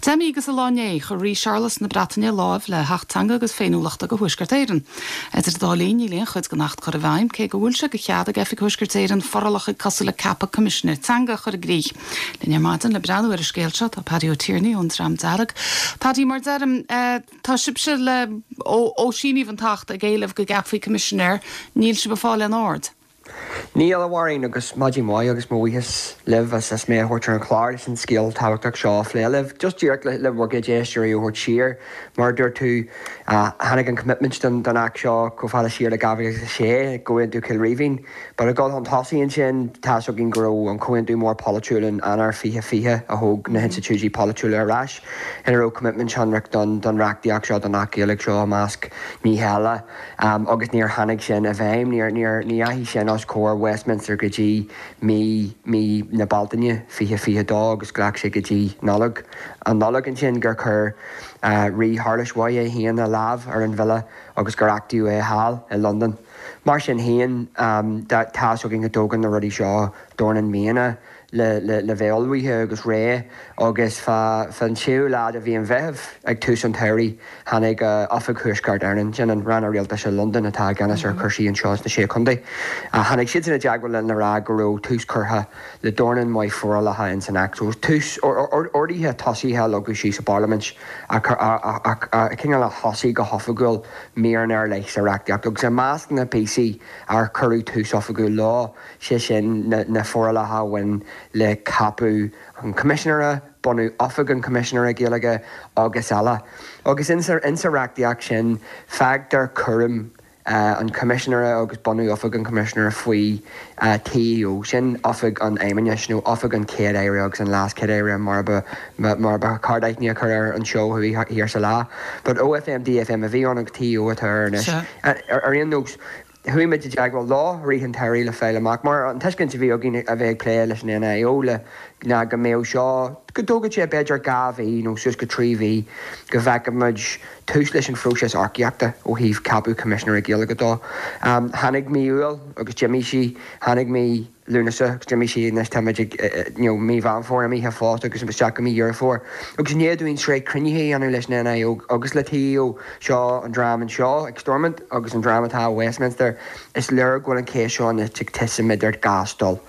10 mí agus lá inné, chuir Rí Séarlas na Breataine láimh le hAcht Teanga agus Féiniúlachta do Thuaisceart Éireann. Idir an dá linn, níl aon chuid den Acht curtha i bhfeidhm, cé go bhfuil sé de chead ag Oifig Thuaisceart Éireann forálacha cosúil le ceapadh Coimisinéir Teanga a chur i gcrích. Linn ar maidin le breathnú ar an scéal seo tá Paddy Ó Tiarnaigh ón Dream Dearg. Paddy, mar deirim, tá sibhse le, ó síníodh an tAcht ag éileamh go gceapfaí Coimisinéir, níl sibh ag fáil aon aird. Níl, a Mháirín, agus maidin mhaith agus mo bhuíochas libh as as mé a thabhairt ar an chlár leis an scéal tábhachtach seo a phlé libh. Just díreach le le bhur gcuid éisteoirí a thabhairt siar, mar a dúirt tú, tháinig an commitment don don Acht seo chomh fada siar le 2006 i gComhaontú Chill Rímhinn. But ag dul chun tosaigh ansin, tá's againn go raibh an comhaontú mór polaitiúil in Eanáir 2020 a thóg na hinstitiúidí polaitiúla ar ais, ina raibh commitment shonrach don don reachtaíocht seo, don Acht Gaeilge seo i measc nithe eile. Agus níor tháinig sin i bhfeidhm, níor, níor, ní dheachaigh sin os comhair Westminster go dtí mí, mí na Bealtaine 2022 agus ghlac sé go dtí Nollaig, an Nollaig ansin gur chuir Rí Shéarlas Mhaith é féin a lámh ar an bhille agus gur achtaíodh é thall i Londain. Mar sin féin, tá fhios againn go dtógann na rudaí seo dornán míonna. le bheith ullmhaithe agus réidh agus fá an séú lá de mhí an Mheithimh ag tús an tsamhraidh tháinig Oifig Thuaisceart Éireann, sin an rannóg rialtais i Londain atá i gceannas ar chúrsaí anseo sna Sé Chontae, tháinig siadsan i dteagmháil linn le rá go raibh tús curtha le dornán maith forálacha ins an Acht. So tús, orduithe tosaithe a leagadh síos i bParlaimint a cineál a thosaigh go hoifigiúil míreanna ar leith sa reachtaíocht agus i measc na bpíosaí ar cuireadh tús oifigiúil leo, sé sin, na forálacha a bhain le ceapadh an Choimisinéara, bunú Oifig an Choimisinéara Gaeilge agus eile. Agus insa reachtaíocht sin, fágtar cúram an Choimisinéara agus bunú Oifig an Choimisinéara faoi TEO, sin Oifig an Fheidhmeannais nó Oifig an Chéad-Aire agus an LeasChéad-Aire mar ba mar ba cheart aithne a chur air anseo thuaidh thiar sa lá. But OFM DFM a bhí ann agus TEO atá air anois. Ar aon nós, Chuaigh muid i dteagmháil leo i rith an tsamhraidh le fáil amach, mar an tuiscint a bhí againn a bheith ag plé leis an NIO le ná go mbeadh seo, go dtógfadh sé b'fhéidir 2 mhí nó suas go 3 mhí go bhfeicfeadh muid tús leis an phróiseas earcaíochta ó thaobh ceapadh Coimisinéara Gaeilge dó. Tháinig mí Iúil agus d'imigh sí, tháinig mí. Lúnasa agus d'imigh sí anois tá muid ag you know mí Mheán Fómhair imithe fosta agus isteach go mí Dheireadh Fómhair. Agus i ndiaidh dúinn sraith cruinnithe a dhéanamh leis an NIO agus le TEO, seo an dream anseo ag Stormont agus an dream atá i Westminster, is léir go bhfuil an cheist seo anois ag titim idir dhá stól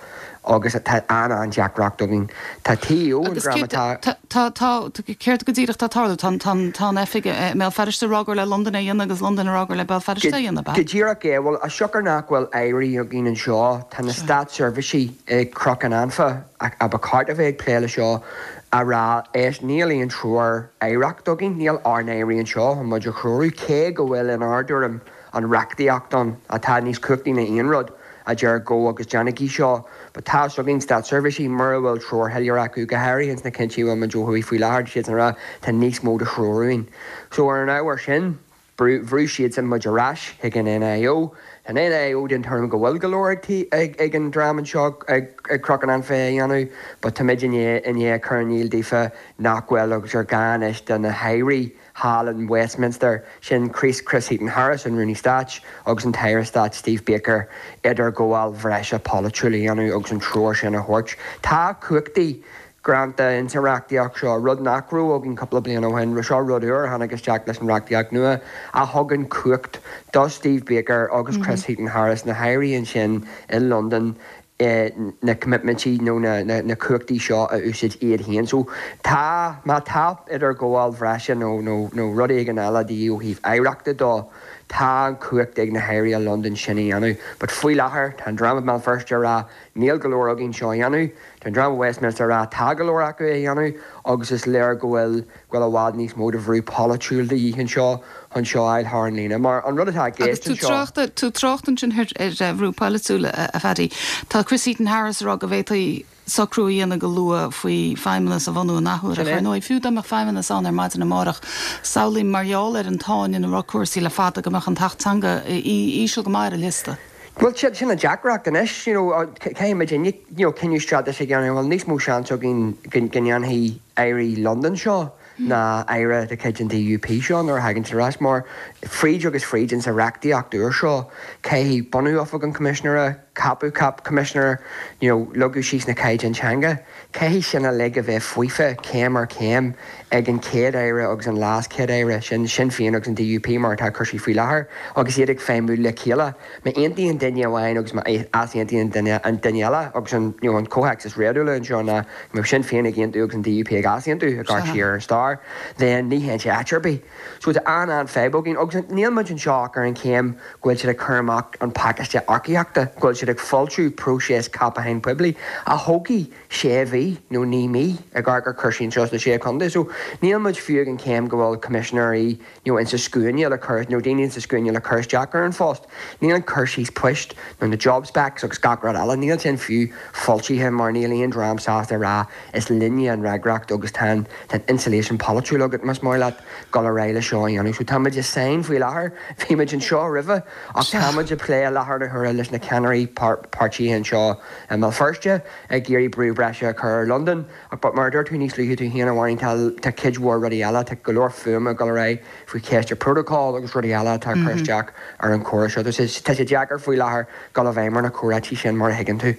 agus tá an-an-deacracht againn. Tá TEO, an Agus dream céard, atá. tá, tá, tá, céard go díreach atá ag tarlú? Tá, tá, tá an oifig i mBéal Feirste ag rá gur le Londain é a dhéanamh agus Londain ag rá gur le Béal Feirste é a dhéanamh, ab ea? Go díreach é. Bhuel, as siocair nach bhfuil airí againn anseo, tá na státseirbhísigh ag Cnoc an Anfa, a ba cheart a bheith ag plé le seo, á rá, éist, níl aon treoir aireachta againn, níl ár n-airí anseo chun muid a threorú, cé go bhfuil, in ár dtuairim, an reachtaíocht ann atá níos cumhachtaí ná aon rud a deir gabh agus déanaigí seo. But tá fhios againn, státseirbhísigh, mura bhfuil treoir shoiléir acu, go háirithe ins na cinntí a bhfuil muid ó thuaidh faoi láthair, tá siadsan ag rá tá níos mó de threoir uainn. So ar an ábhar sin, bhrú siadsan muid ar ais chuig an NIO. Tá an NIO den tuairim go bhfuil go leor ag ag an dream anseo ag Cnoc an Anfa a dhéanamh, but tá muid i ndiaidh cur in iúl daofa nach bhfuil agus gur gá anois do na hairí thall in Westminster, sin Chris Chris Heaton-Harris, an Rúnaí Stáit, agus an tAire Stáit Steve Baker, idirghabháil bhreise pholaitiúil a dhéanamh agus an treoir sin a thabhairt. Tá cumhachtaí greanta insa reachtaíocht seo, rud nach raibh againn cúpla bliain ó shin. Seo rud úr a tháinig isteach leis an reachtaíocht nua a thugann cumhacht do Steve Baker agus Chris Heaton-Harris, na hairí ansin i Londain, na coimitmintí nó na cumhachtaí seo a úsáid iad féin. So tá, má tá idirghabháil bhreise nó nó rud éigin eile de dhíth ó thaobh aireachta dó, tá an chumhacht ag na hairí i Londain sin a dhéanamh. But faoi láthair, tá an dream i mBéal Feirste ag rá níl go leor againn seo a dhéanamh, tá an dream i Westminster ag rá tá go leor acu a dhéanamh agus is léir go bhfuil go bhfuil i bhfad níos mó de bhrú polaitiúil de dhíth anseo chun seo a fháil thar an líne. Mar an rud atá i Agus gceist tú anseo. trácht, tú trácht ansin ar ar bhrú polaitiúil, a Phaddy. Tá Chris Heaton-Harris ag rá go bhféadfaí socrú a dhéanamh go luath faoi feidhmeannas a bhunú an athuair. Ach ar ndóigh, fiú dá mbeadh feidhmeannas ann ar maidin amárach, samhlaím mar gheall ar an tsáinn ina raibh cúrsaí le fada go mbeadh an tAcht Teanga íseal go maith ar an liosta. Bhuel, sin an deacracht anois, you know, caithfidh muid you know, cinneadh straitéiseach a dhéanamh, bhfuil níos mó seans againn go ndéanfaidh. Airí Londain seo ná Aire de chuid an DUP seo nuair a thagann siad ar ais mar fríd agus fríd insa reachtaíocht úr seo caithfidh bunú Oifig an Choimisinéara, ceapadh cap Coimisinéir, you know leagadh síos na caighdeáin teanga, caithfidh sin uilig a bheith faofa céim ar chéim ag an chéad Aire agus an leas-chéad Aire, sin Sinn Féin agus an DUP mar atá cúrsaí faoi láthair agus iad ag feidhmiú le chéile. Má aontaíonn duine amháin agus má easaontaíonn duine an duine eile agus an you know an comhthéacs is réadúla anseo ná go mbeadh Sinn Féin ag aontú agus an DUP ag easaontú ag amharc siar ar an stair then ní théann sé áit ar bith. So tá an-an-fhadhb againn agus níl muid anseo ach ar an chéim go bhfuil siad ag cur amach an pacáiste earcaíochta, go bhfuil siad ag foilsiú próiseas ceapacháin poiblí a thógfaidh sé mhí nó 9 mí ag amharc ar chúrsaí anseo sna Sé Chontae. So níl muid fiú ag an chéim go bhfuil coimisinéirí nó insa scuaine le cur, nó daoine insa scuaine le cur isteach ar an phost. Níl an cur síos poist nó na job specs agus gach rud eile, níl sin fiú foilsithe mar níl aon dream sásta a rá is linne an fhreagracht agus tá an, tá an insulation polaitiúil agat más maith leat dul ar aghaidh le seo a dhéanamh. So tá muid i sáinn faoi láthair, bhí muid anseo roimhe ach tá muid ag plé i láthair na huaire leis na ceannairí páirtithe anseo i mBéal Feirste ag iarraidh brú breise a chur ar Londain. Ach but mar a dúirt tú níos luaithe tú féin, a Mháirín, tá, tá cuid mhór rudaí eile, tá go leor fuaime ag dul ar aghaidh faoi cheist an protocol agus rudaí eile atá ag cur isteach ar an chomhrá seo. Tá sé, tá sé deacair faoi láthair dul i bhfeidhm ar na comhráití sin mar a thuigeann tú.